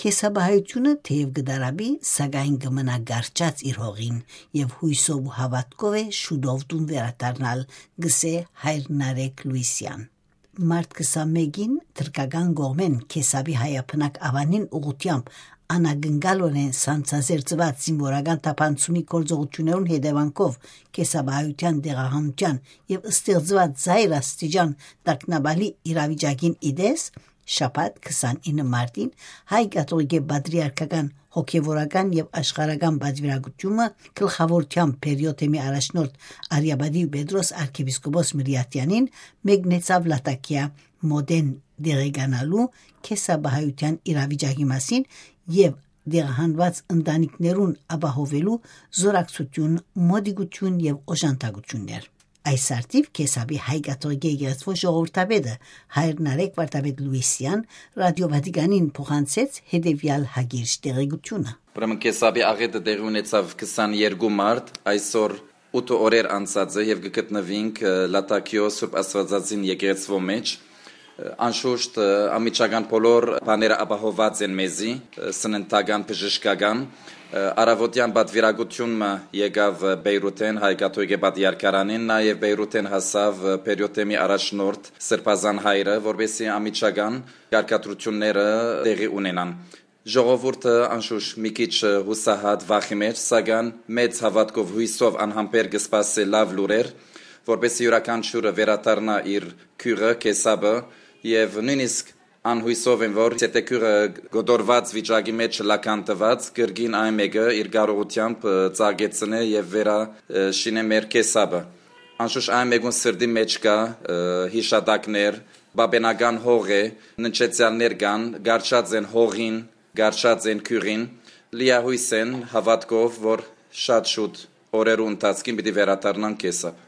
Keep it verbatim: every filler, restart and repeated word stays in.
Կեսապահայութիւնը թէեւ կը դարապի, սակայն կը մնայ կառչած իր հողին եւ յոյսով ու հաւատքով է շուտով տուն վերադառնալ, կ'ըսէ հայր Նարեկ Լուիսեան։ Մարտ քսանմէկին թրքական կողմէն Քեսապի հայաբնակ աւանին ուղղութեամբ անակնկալօրէն սանձազերծուած զինուորական թափանցումի գործողութիւններուն հետեւանքով կեսապահայութեան տեղահանութեան եւ ստեղծուած զայր աստիճան տագնապալի իրավիճակին ի տես, շաբաթ քսանինը մարտին հայ կաթողիկէ պատրիարքական հոգեվորական եւ աշխարհական պատվիրակութիւնը գլխաւորութեամբ Բերիոթեմի առաջնորդ Արիապատի Պետրոս արքեպիսկոպոս Մրիաթեանին մեկնեցաւ Լատակիա մօտէն տեղեկանալու կեսապահայութեան իրավիճակի մասին եւ տեղահանուած ընտանիքներուն ապահովելու զօրակցութիւն, մօտիկութիւն եւ օժանդակութիւններ։ Այս արդիւ Քեսապի հայ կաթողիկէ եկեղեցւոյ ժողովրդապետը հայր Նարեկ Վարդապետ Լուիսեան Ռադիո Վատիկանին փոխանցեց հետեւեալ հակիրճ տեղեկութիւնը։ Ուրեմն Քեսապի աղէտը տեղի ունեցաւ քսաներկու մարտ, այսօր ութ օրեր անցած է եւ կը գտնուինք, ը, Լատակիոյ Սուրբ Աստուածածին եկեղեցւոյ մէջ։ Ը, անշուշտ, ը, անմիջական բոլոր բաները ապահովուած են մեզի, ը, սննդական, բժշկական։ Ը, առաւօտեան պատվիրակութիւն մը եկաւ, ը, Պեյրութէն, հայ կաթողիկէ պատրիարքարանէն, նաեւ Պեյրութէն հասաւ, ը, Բերիոթեմի առաջնորդ Սրբազան հայրը, որպեսզի անմիջական կարգադրութիւնները տեղի ունենան։ Ժողովուրդը անշուշտ մի քիչ, ը, յուսահատ վախի մէջ, սակայն մեծ հաւատքով, յոյսով անհամբեր կը սպասէ լաւ լուրեր, որպեսզի իւրաքանչիւրը վերադառնայ իր գիւղը, Քեսապը, եւ նոյնիսկ անհոյսով են, որ եթե գիւղը կոտորուած վիճակի մէջ չլայ քանդուած, կրկին այն մէկը իր կարողութեամբ, ը, ծաղկեցնէ եւ վերա, ը, շինէ մեր Քեսապը։ Անշուշտ այն մէկուն սրտի մէջ կայ, ը, յիշատակներ, պապենական հող է, ննջեցեալներ կան, կառչած են հողին, կառչած են գիւղին, լիահոյս են հաւատքով, որ շատ շուտ օրերու ընթացքին պիտի վերադառնան Քեսապ։